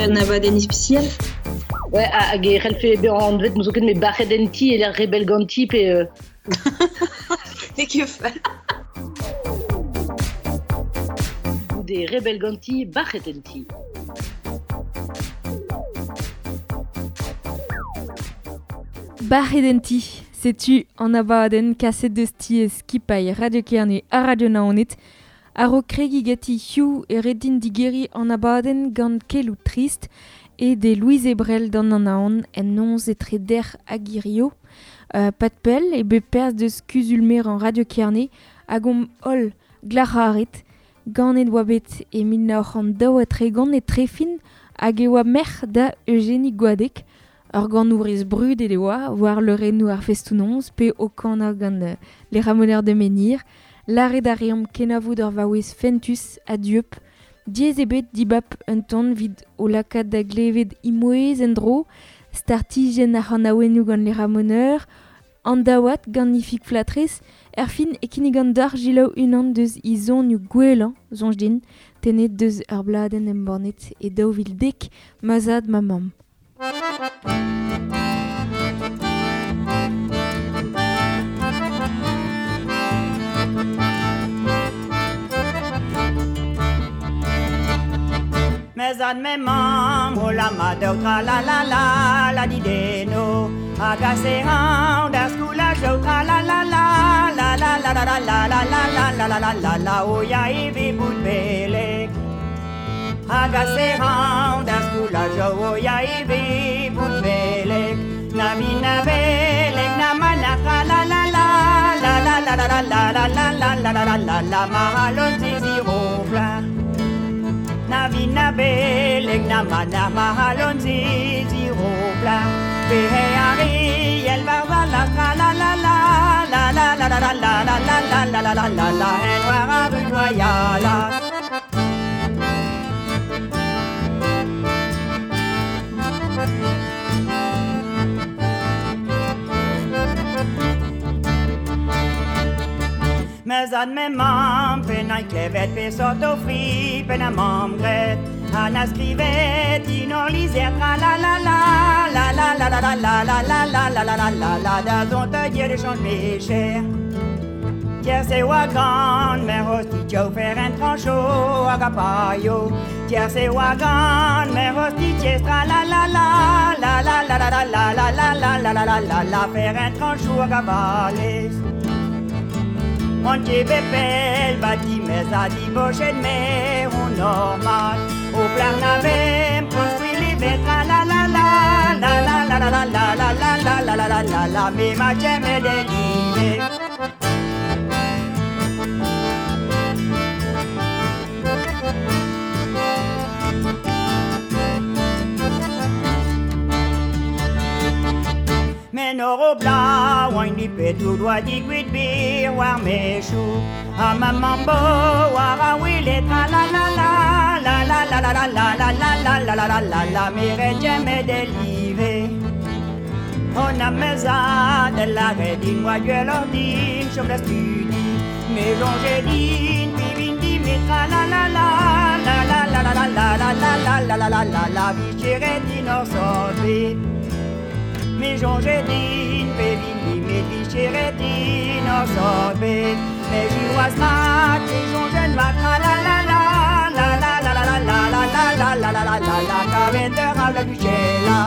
un abadenn ispisial. Ouais, hag e c'hellfe bezañ anvet n'ouzon ket met bac'het en ti e lec'h rebell ganti pe... N'eo ket fall. Goude rebell ganti, bac'het en ti. Bac'het en ti, setu an abadenn kaset deus tiez skipailh Radio Kerne ha Radio Naoned a-raok kregiñ ganti hiziv e ret din digeriñ an abadenn gant keloù trist e de Louise Ebrel d'an Anaon en noz etre dec'h hag hirio. Pad pell eo bet perzh deus kuzul-merañ Radio Kerne hag omp holl glac'haret. Ganet oa bet e 1932 e Trefin hag e oa merc'h da Eugénie Goadec. Ur ganourez brudet e oa war leurennoù ar festoù-noz pe o kanañ gant Les Ramoneurs de Menhir. Lâret a reomp kenavo d'ur vaouez fentus ha dieub. Diaes eo bet dibab un ton evit o lakaat da glevet he mouezh en-dro, startijenn ar c'hanaouennoù gant Les Ramoneurs, an daouad gant Ifig Flatrez, erfin e kinnigan deoc'h selaou unan deus he zonioù gwellañ, soñj din, tennet deus ur bladenn embannet e 2010, Ma zad, ma mamm. Me zad me mamm o lammat daou tra la la la la dideno hag ase hañv d'ar skolaj daou tra la la la la la la la la la la la la la la la la la o ya e ve bout beleg hag ase hañv d'ar skolaj o ya e ve bout beleg na vi na beleg na ma na tra la la la la la la la la la la la la la la la la la ma halon ziziro pla Na vi na beleg na ma na ma halon ziziro pla Pe he ari el war war la tra la la la la la la la la la la la la la la la la la en war a rudoyala. Me zad me mamm pe na klevet pe sort o fri pe na mamm gret ha na skrivet in ur lizher tra la la la la la la la la la la la la la la la la la da zont a dir de chanj mecher Tiens se oa gant mer hosti tio fer en trancho hag a paio Tiens se oa gant mer hosti tiez tra la la la la la la la la la la la la la la la la la fer en trancho hag a valez On ket bepel bati mez a dibochet mer on normal O plar navem construit les tra la la la la la la la la la la la la la la la la la me ma cheme delive Men ur bla oain di petou doa digwit bir war mechou Ha ma mambo war a wile tra la la la la la la la la la la la la la la la la la me rejeme delive On a meza de la redin oa gwell ordin chom da studi Me jonge din pi vin di me tra la la la la la la la la la la la la la la la la la vi din ur sort Me jonge din pe vin di me vichere din ur sort bet Me jiwas mat me jonge mat tra la la la la la la la la la la la la la la la la la kavet ur a la duchela.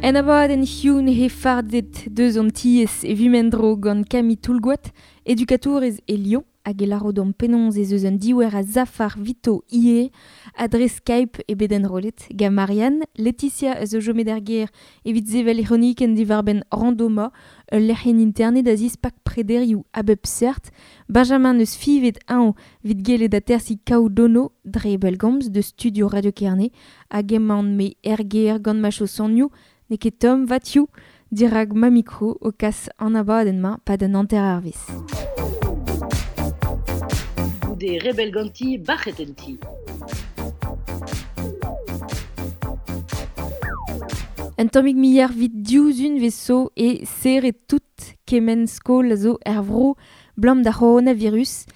En abadenn hiziv he fardet deus an tiez e vimendro gant Camille Toulgoat, edukatourez e Lyon, hag e laro d'an penaos ez eus un diouer a zafar vito ie, adre Skype e bet enrollet, gant Marianne, Laetitia eus o jomet er gêr evit sevel ironiken diwar-benn randoma, ul lec'hienn internet a zispak prederioù a bep seurt, Benjamin eus fivet añ evit gellet atersiñ kaout dono dre bellgomz de studio Radio Kerne, hag emaon me er gêr gant ma chaosonioù, n'eo ket tomm vatioù dirak ma mikro o kas an abadenn-mañ pad an hanter arvez. Goude rebell ganti, bac'het en ti. Un tammig miar vit diouzun veso e serre tout kement skol a zo er vro blam da coronavirus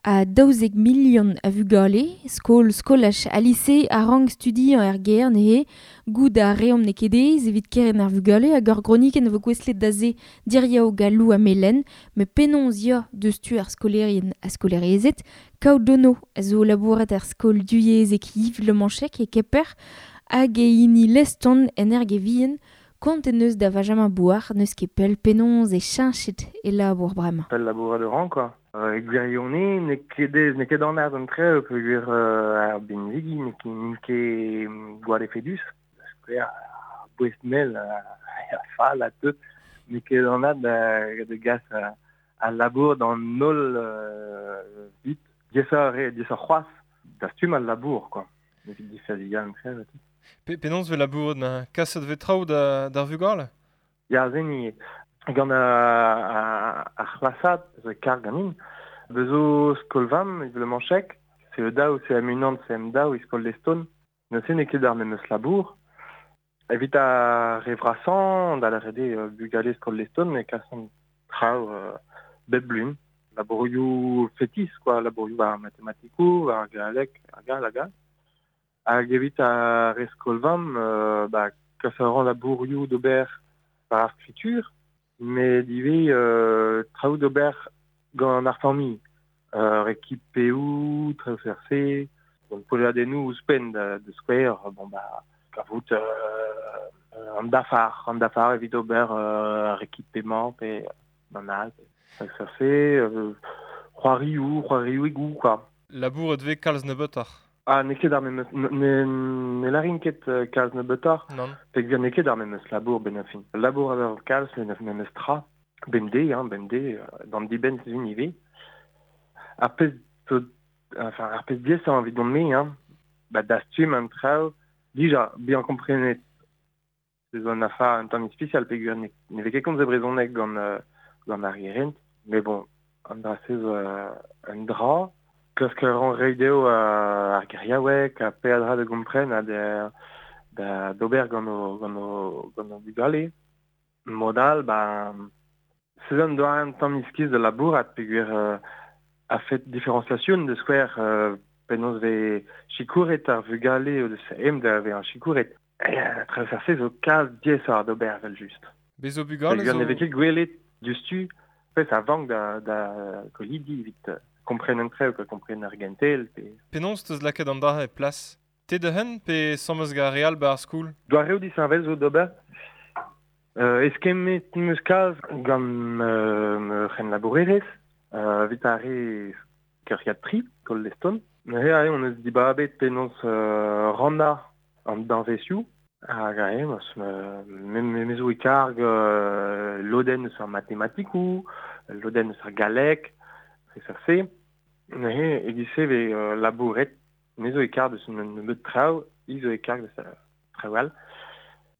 a 12 million a vugale, skol skolaj a lise a rang studi an er ger nehe, goud a reomp ne kedez evit keren ar vugale hag ur groniken vo gouestlet da ze diriao galou a melen, me penons ya deus tu ar skolerien a skolerezet, kaout dono a zo labourat ar skol duyezek Yves Le Manchec e Keper hag e hini leston en erge vien, kont en eus da Benjamin Bouar neus ket pell penons e cheñchet e labour bremañ. Pell labour de ran, quoi. Gwirionez, n'eo ket ez, n'eo ket an ar an tre, peogwir ar benvigi, n'eo ket gwall efedus. Skouer, ar bouez mel, a fall a tout, n'eo ket an ar da gas a labour d'an holl vit. Diaesoc'h eo, diaesoc'h c'hoazh, dastum al labour, quoi. Evit difaziañ an tre, tout. Penaos ve labour na kaset ve traoù d'ar vugale? Ya, zen ivez. Gant ar c'hlasad zo karg ganin. Bezo skolvam, Yves Le Manchec, CE2, CM1, CM2, e skol Leston. Neuze n'eo ket ar memes labour. Evit ar re vrasañ, da lâret eo bugale skol Leston, e kasont traoù bep blun. Labourioù fetis, quoi, labourioù war matematikoù, war galleg, hag all, hag all. Hag evit ar re skolvam, ba, kas a ran labourioù d'ober war ar skritur, met ivez traoù d'ober gant ar familh. Rekipeoù, traoù CRC, gant poleadennoù ouzhpenn da skouer, bon ba, kavout an dafar evit ober ar rekipemañ pe an all, traoù CRC, c'hoarioù quoi. Labour et vez kalz nebeutoc'h. Ah, n'eo ket ar memes, ne larin ket kalz nebeutoc'h. Non. Peogwir n'eo ket ar memes labour ben ar fin. Labour a kalz, met memes tra. Bemdez, hein, bemdez, d'an dibenn sizhun ivez. Ar pezh enfin, ar pezh diaesañ evit dont-me, hein, ba dastum an traoù, dija, bien komprenet. Se zo un afar un tamm ispisial peogwir ne vez ket komzet brezhoneg gant ar gerent. Mais bon, an dra-se zo un dra. Klask a ran reiñ dezho ar geriaoueg, ha peadra da gompren ha da d'ober gant o bugale. Mod all, ba, se zo un doare un tamm iskis da labourat peogwir a fet différenciation de skouer penaos vez sikouret ar vugale o deus em da vezañ sikouret. Traoù zo kalz diaesoc'h d'ober evel-just. Bez' zo bugale zo... Ne vez ket gwelet diouzhtu, pezh a vank da kolidi evit kompren an traoù, kompren ar gentel. Pe... Penaos teus lakaet an dra e plas? Te da hen pe sammez gant ar re all ba ar skol? Doareoù disheñvel zo d'ober. Eskemmet 'm eus kalz gant ma c'henlabourerez, evit ar re keuriad tri, skol Leston. Neuze aze on eus dibabet penaos rannañ an danvezioù. Hag aze, me zo e karg lodenn eus ar matematikoù, lodenn eus ar galleg, se. Neuze, e-giz-se vez labouret, me zo e karg deus un nebeud traoù, i zo e karg deus traoù all.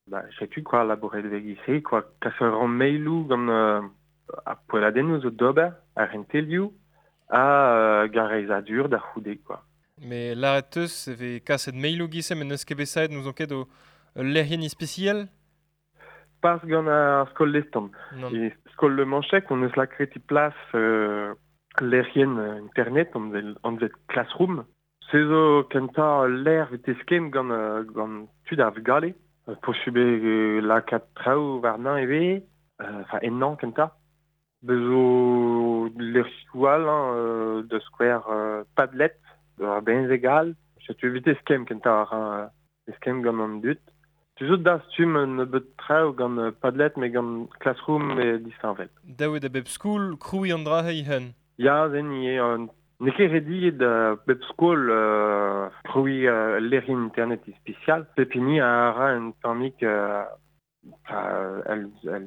Ba, setu quoi, labouret vez e-giz-se, quoi, kas a ran mailoù gant ar poelladennoù zo d'ober, ar c'hentelioù, ha gareizadur da c'houde, quoi. Mais lâret teus e vez kaset mailoù giz-se, met n'eus ket bet saet n'ouzon ket o lec'hienn ispisial? Pas gant ar skol Leston. E skol Le Manchec, on eus lakaet e plas lec'hienn internet, anvet Classroom. Se zo kentañ lec'h evit eskemm gant tud ar vugale. Posubl eo lakaat traoù warnañ ivez, enfin ennañ kentañ. Bez zo lec'hioù all, hein, da skouer Padlet, ar benveg all. Setu evit eskemm kentañ ar eskemm gant an dud. Tu zo dastum un nebeud traoù gant Padlet, met gant Classroom e disheñvel. Dav eo da bep skol krouiñ an dra he-hun. Ya, zen ivez. N'eo ket rediet da bep skol krouiñ lec'hienn internet ispisial. Pep hini a ra un tammig el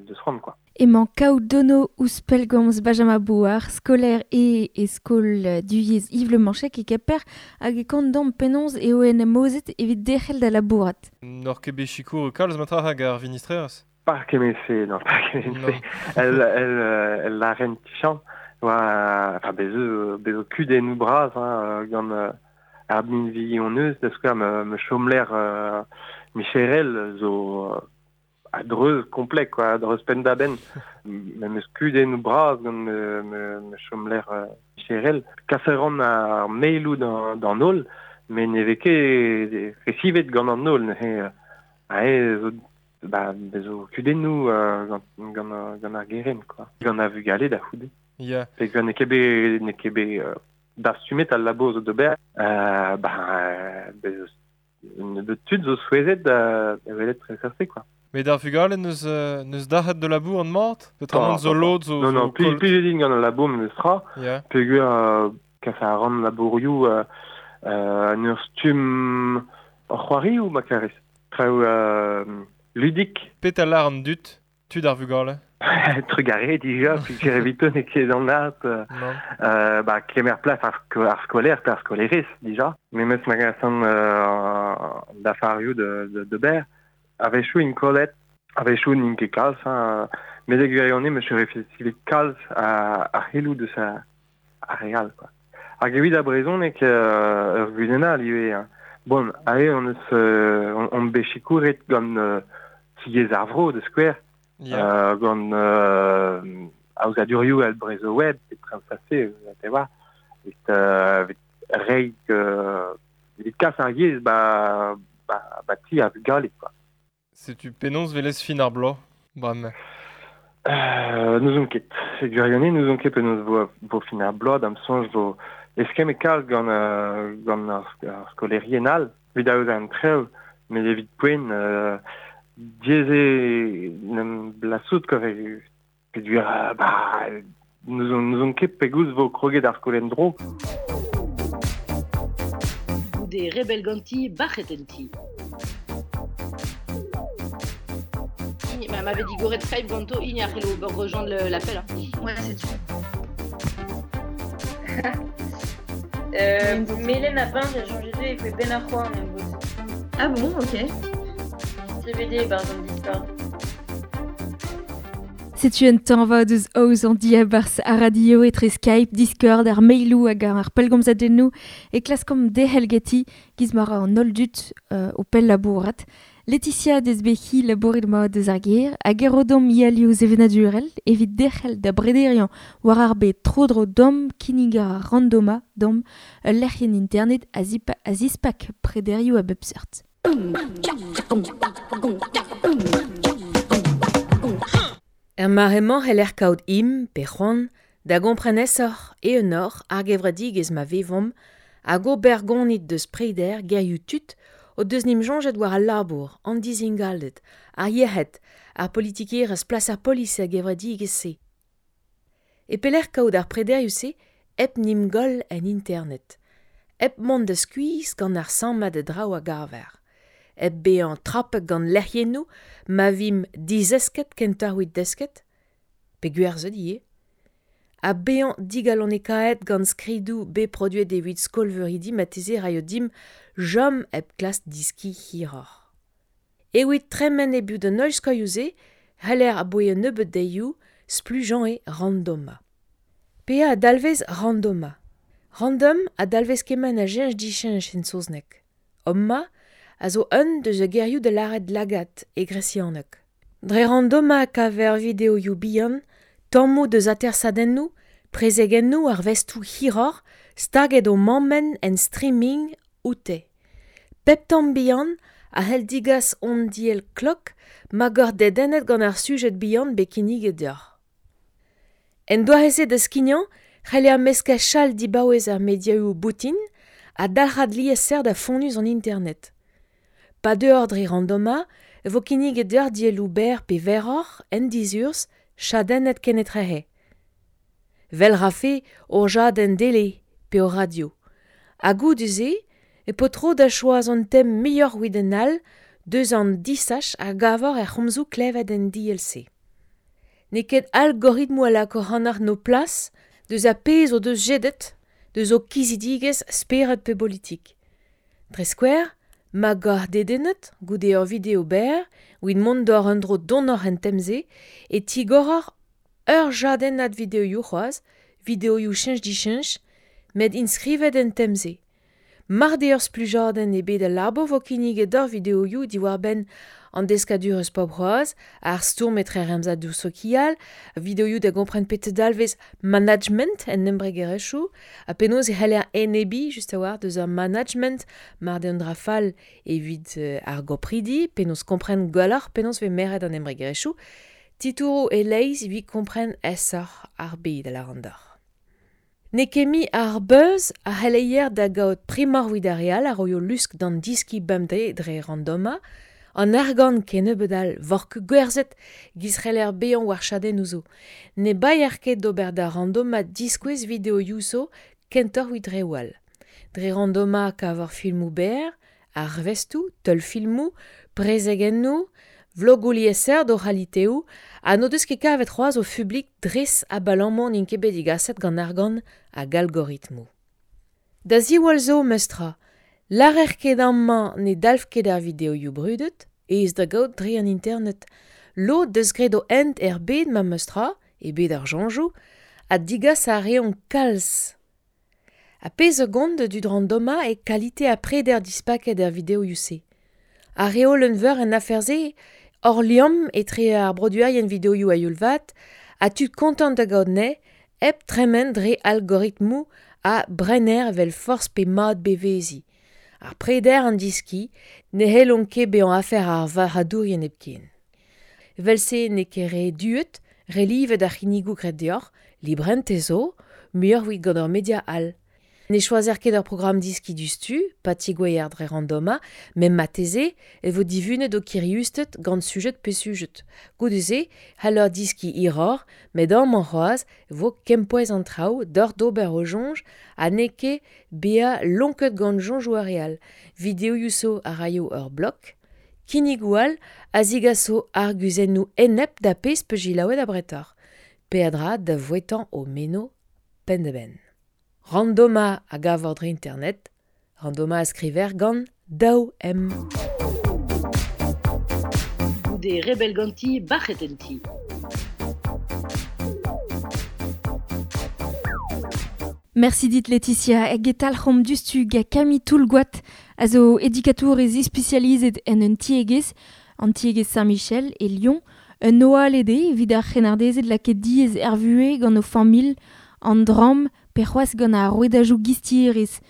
deus c'hoant, quoi. Emañ kaout dono ouzh pellgomz Benjamin Bouar, skolaer e skol duyez Yves Le Manchec e Keper, hag e kont damm penaos eo en em aozet evit derc'hel da labourat. N'oc'h ket bet sikour kalz matra hag ar vinistrerez? Pas kement-se, non, pas kement-se. El lâren tichañ, oa, enfin, bez zo kudennoù bras, hein, gant ar binvi hon eus, da skouer me chomler micherel zo a dreuz komplet, quoi, a dreuz penn da benn. Me meus kudennoù bras gant me chomler cherel. Kas a ran ar mailoù d'an holl, met ne vez ket resivet gant an holl. Neuze, ae zo, ba, bezo kudennoù gant ar gerent, quoi. Gant ar vugale da c'houde. Ya. Peogwir n'eo ket bet, n'eo ket bet dastumet al labour zo d'ober, ba, bezo nebeut tud zo souezhet da welet tre-se, quoi. Met ar vugale neus dac'het de labour an mat? Peotramant zo lod zo... Non, non, plijet din gant al labour memes tra. Yeah. Peogwir kas a ran labourioù en ur stumm c'hoarioù ma karez. Traoù ludik. Petra lar an dud, tud ar vugale? Trugarez dija, peogwir evito n'eo ket an art. Ba, kemer plas ar skolaer pe ar skolaerez dija. Memes ma gasan d'afarioù de ber. A-wechoù int kollet, a-wechoù n'int ket kalz, hein. Met e gwirionez me refesivet kalz a c'helloù deus ar re all, quoi. Hag evit ar brezhoneg ur gudenn all ivez, hein. Bon, aze on eus on bet sikouret gant tiez ar vro de skouer, Yeah. Gant aozadurioù al Brezhoweb, et traoù te war, evit reiñ evit kas ar yezh ba ti ar vugale, quoi. Setu penaos velez fin ar bloaz, bremañ? N'ouzon ket. E gwirionez n'ouzon ket penaos vo fin ar bloaz, da'm soñj vo eskemm e kalz gant ar skolaerien all, evit aozañ an traoù, met evit poent diaes eo n'em blasout, quoi, peogwir ba n'ouzon ket pegoulz vo kroget ar skol en-dro. Goude rebel ganti, bac'het en ti. Bah, m'avait dit goret Skype ganto, il y a rejoindre l'appel. Hein. Ouais, c'est tout. Mélène a peint, j'ai changé de et fait Ben Arroy en même. Ah bon, ok. CBD, par exemple, Discord. Setu un tañva deus aoz an diabarzh ar radio etre Skype, Discord, ar mailoù hag ar pellgomzadennoù e klaskomp derc'hel ganti giz ma ra an holl dud o pell labourat. Laetitia desbehi labouret ma deus ar gêr hag e ro deomp ialioù sevenadurel evit derc'hel da brederiañ war ar bed tro-dro dom kinnig ar randoma dom ul lec'hienn internet a zispak prederioù a bep seurt. Er mare-mañ c'heller kaout im pe c'hoant da gompren aesoc'h eeunoc'h ar gevredigezh ma vevomp hag ober gonit deus preder gerioù tud o deus nim soñjet war al labour, an dizingalded, ar yec'hed, ar politikerezh plas ar polis er gevredigezh-se. E pelec'h kaout ar prederioù-se hep nim goll en internet, hep mont da skuizh gant ar sammad a draoù a gaver, hep bezañ trapet gant lec'hiennoù ma vimp dizesket kentoc'h evit desket, pe gwerzhet ivez, ha bezañ digalonekaet gant skridoù bet produet evit skolveuridi marteze raio dimp chom hep klask diskiñ hiroc'h. Evit tremen e-biou d'an holl skoilhoù-se, c'heller aboe un nebeud deioù splujañ eo randoma. Pea a dalvez randoma. Random a dalvez kement a cheñch dicheñch en saozneg. Omma a zo un deus a gerioù da lâret lagad e gresianeg. Dre randoma kaver videoioù bihan, tammoù deus atersadennoù, prezegennoù ar vestoù hiroc'h staget o mammenn en streaming oute. Pep tamm bihan a c'hell digas hon diell klok ma gor dedennet gant ar sujed bihan bet kinniget deoc'h. En doare-se da skignañ, c'heller meskañ chal dibaouez ar mediaoù boutin ha dalc'had liesseurt da fonnus an internet. Pa deuoc'h dre randoma, e vo kinniget deoc'h dielloù berr pe verroc'h en dizurzh chadennet kenetrehe. Vel rafe ur jadenn dele pe ur radio. Ha goude-se, e po tro da choaz an tem muioc'h evit an all deus an disach a gavor er c'homzoù klevet en DLC. N'eo ket algoritmoù a lako ac'hanoc'h no plas deus ar pezh o deus jedet, deus o kizidigezh spered pe politik. Dre skouer, ma goc'h dedennet, goude ur video berr, evit mont d'or un dro donoc'h en tem-se, e tigoroc'h ur jadennad videoioù c'hoazh, videoioù cheñch-dicheñch, met inskrivet en tem-se. Mar de ur splujadenn e bet al labo vo kinniget d'ur videoioù diwar-benn an deskadur eus pop c'hoazh, ar stourm etre remzadoù sokial, videoioù da gompren pet dalvez management en embregerezhioù, ha penaos e c'heller enebi just a-walc'h deus ur management mar de an dra fall evit ar gopridi, penaos kompren gwelloc'h penaos vez meret an embregerezhioù, titouroù e-leizh evit kompren aesoc'h ar bed a lâran deoc'h. N'eo ket mui ar beuz a c'helleier da gaout primoc'h evit ar re all a roio lusk d'an diski bemdez dre randoma, an argant kennebeut all vork gwerzhet giz c'heller bezañ war chadennoù zo. Ne baeer ket d'ober da randoma diskouez videoioù zo kentoc'h evit reoù all. Dre randoma kavor filmoù berr, arvestoù, teulfilmoù, prezegennoù, vlogoù liesseurt o c'haliteoù ha n'o deus ket kavet c'hoazh o fublik dres abalamour n'int ket bet digaset gant argant hag algoritmoù. Da ziwall zo, meus tra, lârer ket amañ ne dalv ket ar videoioù brudet, aes da gaout dre an internet. Lod deus graet o hent er bed ma meus tra, e bed ar soñjoù, ha digas a reont kalz. Ha pezh a gont da dud randoma eo kalite ha preder dispaket er videoioù-se. Ar reolenn veur en afer-se, hor liamm etre ar broduerien videoioù a-youl vat ha tud kontant da gaout anezhe hep tremen dre algoritmoù ha brenner evel forzh pe mat beveziñ. Ar preder an diski ne c'hellont ket bezañ afer ar varc'hadourien hepken. Evel-se n'eo ket re duet, re livet ar c'hinnigoù graet deoc'h, librentez zo, muioc'h evit gant ur media all. Ne choazer ket ur programm diski diouzhtu, pa tigouezher dre randoma, met marteze e vo divunet ho kiriusted gant sujed pe sujed. Goude-se c'haller diskiñ hiroc'h, met amañ c'hoazh e vo kempouez an traoù deoc'h d'ober ho soñj ha n'eo ket bezañ lonket gant soñjoù ar re all. Videoioù zo a raio ur blog, kinnigoù all a zigaso arguzennoù enep da pezh peus selaouet abretoc'h. Peadra da vouetañ ho meno penn-da-benn. Randoma a gavor dre internet, Randoma a skriver gant daou M. Goude rebel ganti, bac'het en ti. Merci dit Laetitia hag e talc'homp diouzhtu gant Camille Toulgoat a zo edukatourez ispisializet en un tiegezh, an tiegezh Saint-Michel e Lyon, un oaled eo evit ar c'hrennardezed lakaet diaes er vuhez gant o familh, an dramm pe c'hoazh gant ar rouedajoù gistierezh.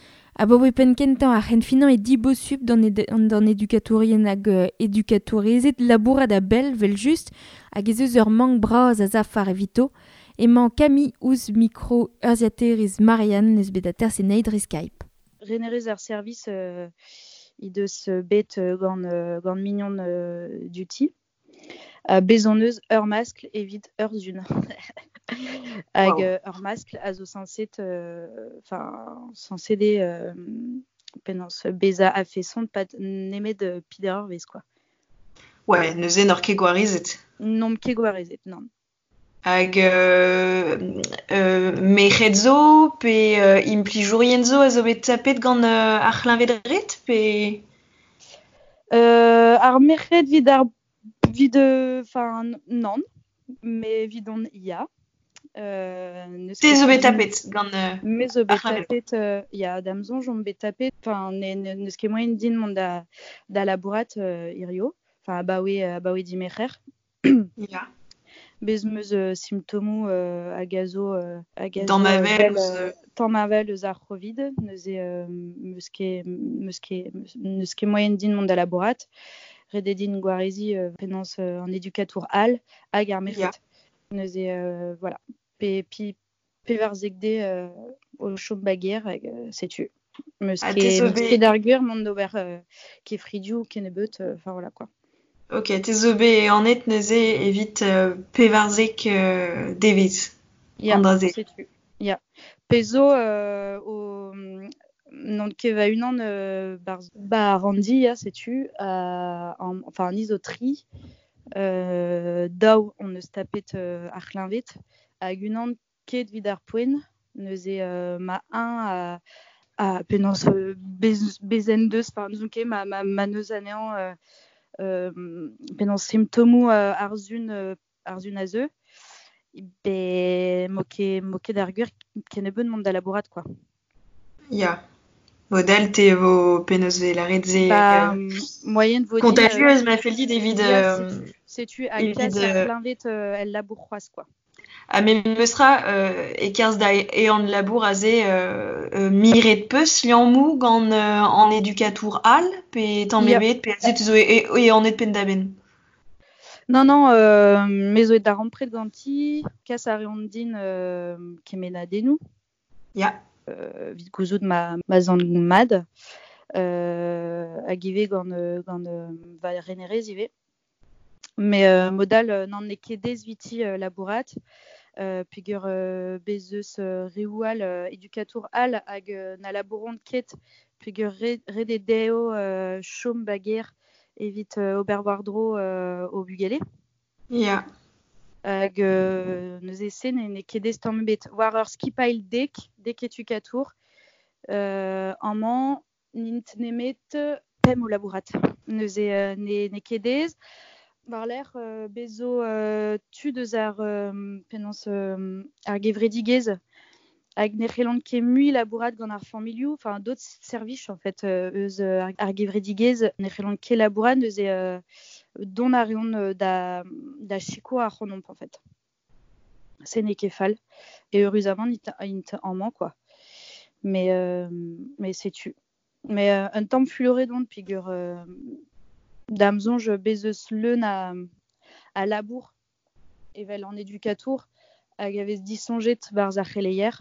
Abaoe penn-kentañ ar c'henfinañ eo dibosupl d'an edukatourien hag edukatourezed labourat a-bell evel-just hag ez eus ur mank bras a zafar evito. Emañ Camille ouzh mikro urzhiataerez Marianne n'eus bet aterset anezhi dre Skype. Renerez ar service he deus bet gant, gant mignon duti. Bez hon eus ur maskl evit ur zun. Hag ur maskl a zo sañset enfin sañset eo penaos bezañ a-feson pad nemet peder eurvezh quoi. Ouais, neuze n'oc'h ket gwarezet. N'omp ket gwarezet, nann. Hag merc'hed zo pe implijourien zo a zo bet tapet gant ar c'hleñved-red pe... Ar merc'hed evit ar evit enfin nann, met evidon ya. N'eus Te zo bet tapet gant Me zo ar bet c'hleñved. tapet ya, da'm soñj on bet tapet enfin n'eus ket moaien din mont da labourat hirio, enfin abaoe dimerc'her. Ya. Bez 'm eus simptomoù hag a zo hag a zo Damheñvel evel ouzh damheñvel eus ar C'hovid neuze 'm eus ket 'm eus ket n'eus ket moaien din mont da labourat. Ret eo din gwareziñ penaos an edukatour all hag ar merc'hed. Neuze voilà. Pe pi pevarzek de o chom ba gêr hag setu. 'M eus Ha te ket zo 'm eus bet ket ar gwir mont d'ober kefridioù kennebeut, enfin voilà quoi. Ok, te zo bet anet neuze evit 14 devezh Ya, an dra-se. setu. Ya. Pezh zo o n'on ket va-unan barzh ba ranndi ya, setu. An, enfin ni zo tri. Daou hon eus tapet ar c'hleñved hag unan ket evit ar poent. Neuze ma eñ a penaos bez en deus, enfin n'ouzon ket ma n'eus anezhañ penaos simptomoù ar sun a zeu. Be mo ket ar gwir kennebeut mont da labourat quoi. Ya. Modal te vo penaos vez lâret se Ba moaien vo din Contagieuse ma fell dit evit ya setu ha evit kas ar c'hleñved el labour c'hoazh quoi. Ha memestra e-kerzh da ehan labour aze miret 'peus liammoù gant an edukatour all pe tamm ebet pe aze te zo ehanet penn-da-benn? Non, non, me zo et darempred ganti, kas a reont din kemennadennoù. Ya. Evit gouzout ma ma 'z an mat. Hag ivez gant gant va renerez ivez. Mais mod all n'an eo ket aes eviti labourat peogwir bez' eus reoù all edukatour all hag na labouront ket peogwir ret eo dezho chom ba gêr evit ober war-dro o bugale. Ya. Hag neuze se n'eo ket aes tamm ebet. War ur skipailh dek edukatour, amañ n'int nemet pemp o labourat. Neuze n'eo ket aes. War-lerc'h bez zo tud eus ar penaos ar gevredigezh hag ne c'hellont ket mui labourat gant ar familhoù, enfin d'autres servij en fait eus ar gevredigezh ne c'hellont ket labourat neuze dont a reont da sikour ac'hanomp en fait. Se n'eo ket fall. Et eüruzamant int amañ quoi. Mais setu. Mais un tamm fuloret on peogwir da'm soñj bez eus leun a labour evel an edukatour hag a vez disoñjet 'barzh ar c'heleier.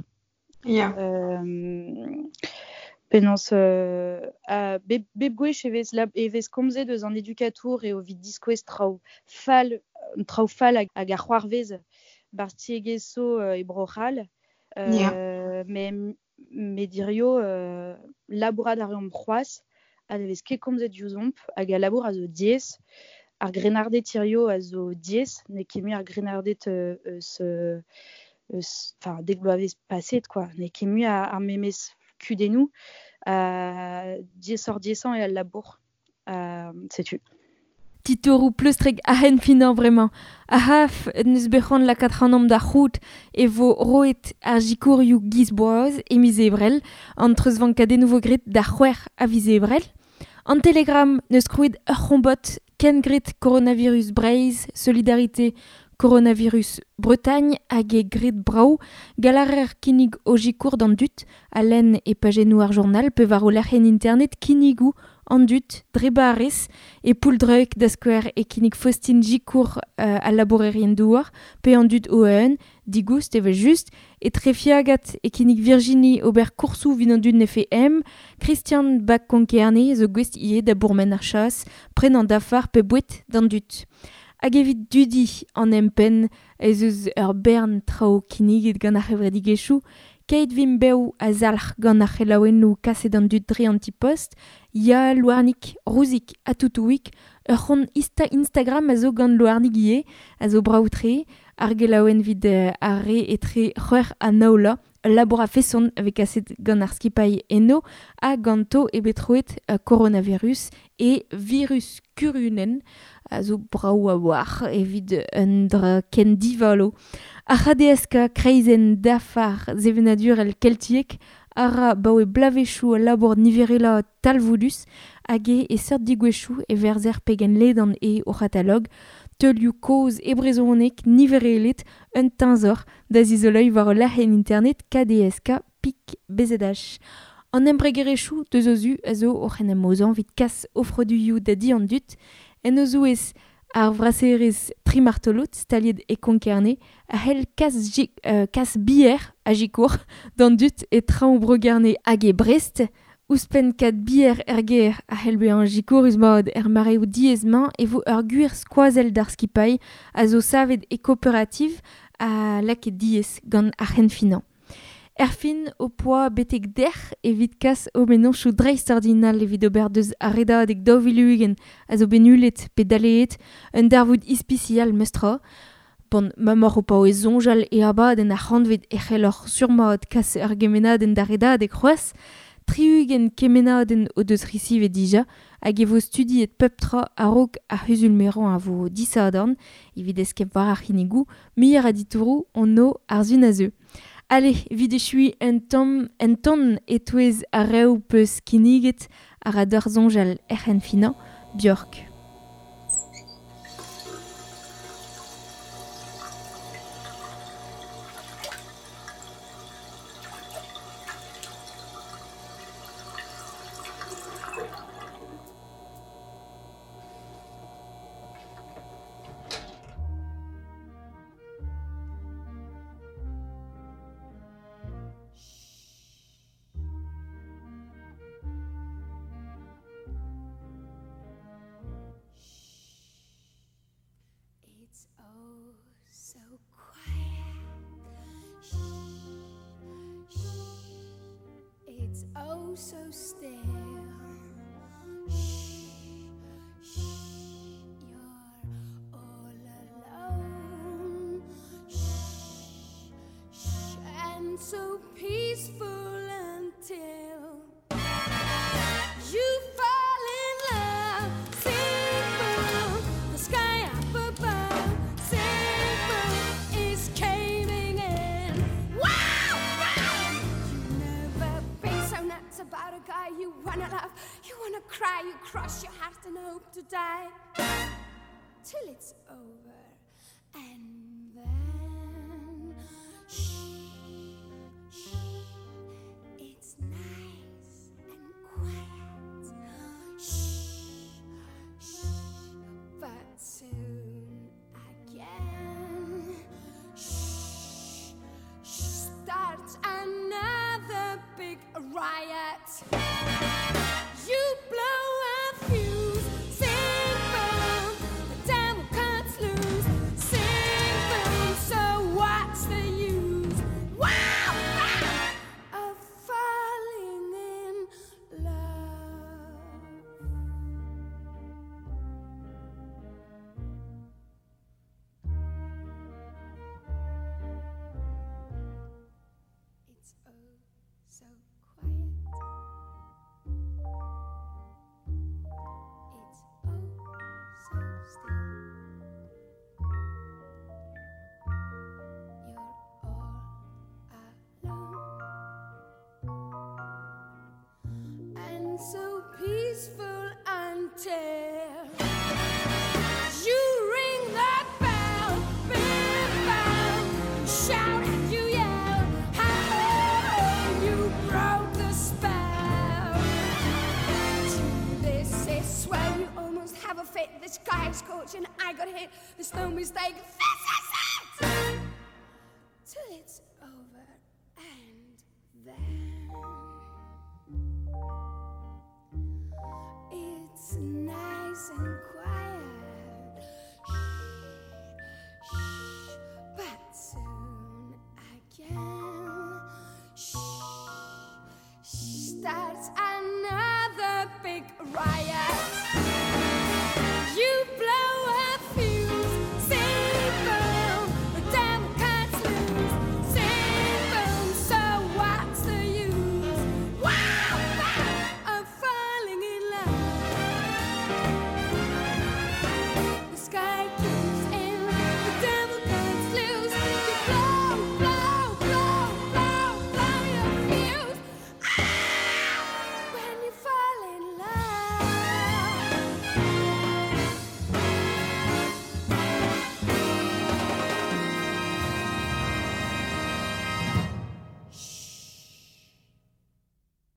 Ya. Penaos ha bep gwech e vez komzet eus an edukatour eo evit diskouez traoù fall hag a c'hoarvez 'barzh tiegezh zo e Bro-C'hall. Ya. Met hirio labourat a reomp c'hoazh ha ne vez ket komzet diouzhomp hag al labour a zo diaes. Ar grennarded hirio a zo diaes, n'eo ket mui ar grennarded eus enfin dek bloavezh paset quoi. N'eo ket mui ar memes kudennoù diaesoc'h-diaesañ eo al labour. Setu. Titouroù pleustrek a-henn finañ bremañ. A-haf n'eus bet c'hoant lakaat ac'hanomp da c'hoût e vo roet ar sikourioù giz boaz e miz Ebrel, an treuzvankadennoù vo graet da c'hwec'h a viz Ebrel. An Telegram n'eus krouet ur c'hombod kengret coronavirus Breizh, Solidarité Coronavirus Bretagne hag e graet brav galarer kinnig o sikour d'an dud a lenn e pajennoù ar journal pe war o lec'hienn internet kinnigoù an dud dre barrez e pouldreug da skouer e kinnig Faustine Gikour al labourerien douar pe an dud o-eeun digoust evel-just e trefiagat e kinnig Virginie ober koursoù evit an dud nefe em Christian Bak-Konkerne zo gouest ivez da bourmen ar chas prenañ dafar pe boued d'an dud. Hag evit dudi an empenn ez eus ur bern traoù kinniget gant ar c'hevredigezhioù, keit vimp bev a zalc'h gant ar c'helaouennoù kaset an dud dre an ti-post, Ya, Louarnig, Rouzik ha Toutouig, ur c'hont Instagram a zo gant Louarnig ivez, a zo brav-tre, ar gelaouenn evit ar re etre c'hwec'h ha nav bloaz, ul labour a-feson a vez kaset gant ar skipailh eno ha ganto eo bet troet coronavirus e virus kurunenn a zo brav a-walc'h evit un dra ken divalo. Ar c'HDSK kreizenn dafar sevenadurel keltiek a ra baoe bloavezhioù al labour niverelañ talvoudus hag eo e seurt degouezhioù e verzer pegen ledan eo o c'hatalog teulioù kozh e brezhoneg niverelet un teñzor da zizoleiñ war ul lec'hienn internet KDSK pik BZH. An embregerezhioù deus o zu a zo oc'h en em aozañ evit kas o froduioù da di an dud en o zouez ar vraserezh Trimartolot staliet e Konkerne a c'hell kas bier a sikour d'an dud e traoñ Bro-Gerne hag e Brest. Ouzhpenn kat bier er gêr a c'hell bezañ sikourus mat er mareoù diaes-mañ e vo ur gwir skoazell d'ar skipailh a zo savet e kooperativ ha lakaet diaes gant ar c'henfinañ. Erfin ho poa betek dec'h evit kas ho mennozhioù dreistordinal evit ober deus ar redadeg 2020 a zo bet nullet pe daleet un darvoud ispisial meus tra. Bon, ma m'oc'h o paouez soñjal e abadenn ar c'hantved e c'helloc'h surmat kas ur gemennadenn d'ar redadeg c'hoazh. 60 kemennadenn o deus resivet dija hag e vo studiet pep tra a-raok ar c'huzul-merañ a vo disadorn evit eskemm war ar c'hinnigoù muioc'h a ditouroù on o ar sun a zeu. Allez, evit echui un tamm un ton e-touez ar reoù peus kinniget a ra deoc'h soñjal er c'henfinañ, Björk. It's oh so quiet. Shh, shh. It's oh so still. Shh, shh. You're all alone. Shh, shh. And so peaceful until you fall in love. Simple, the sky up above. Simple is caving in. Wow! Wow! You've never been so nuts about a guy you wanna love. You wanna cry, you cross your heart and hope to die. Till it's over. And then, shh, shh, it's nice and quiet. Shh, shh, but soon again, shh, shh, starts another big riot. You blow a fuse, sing boom, the devil cuts loose, sing boom, so what's the use? Wow, wow, of falling in love. It's oh so quiet. It's oh so still. You're all alone and so peaceful until you ring that bell, bim bam, you shout and you yell, hey, you broke the spell. To this is swell, you almost have a fit. This guy's coach and I got hit. There's no mistake. This is it. Till it's over and then it's nice and quiet. Shh, shh, but soon again, shh, shh, starts another big riot.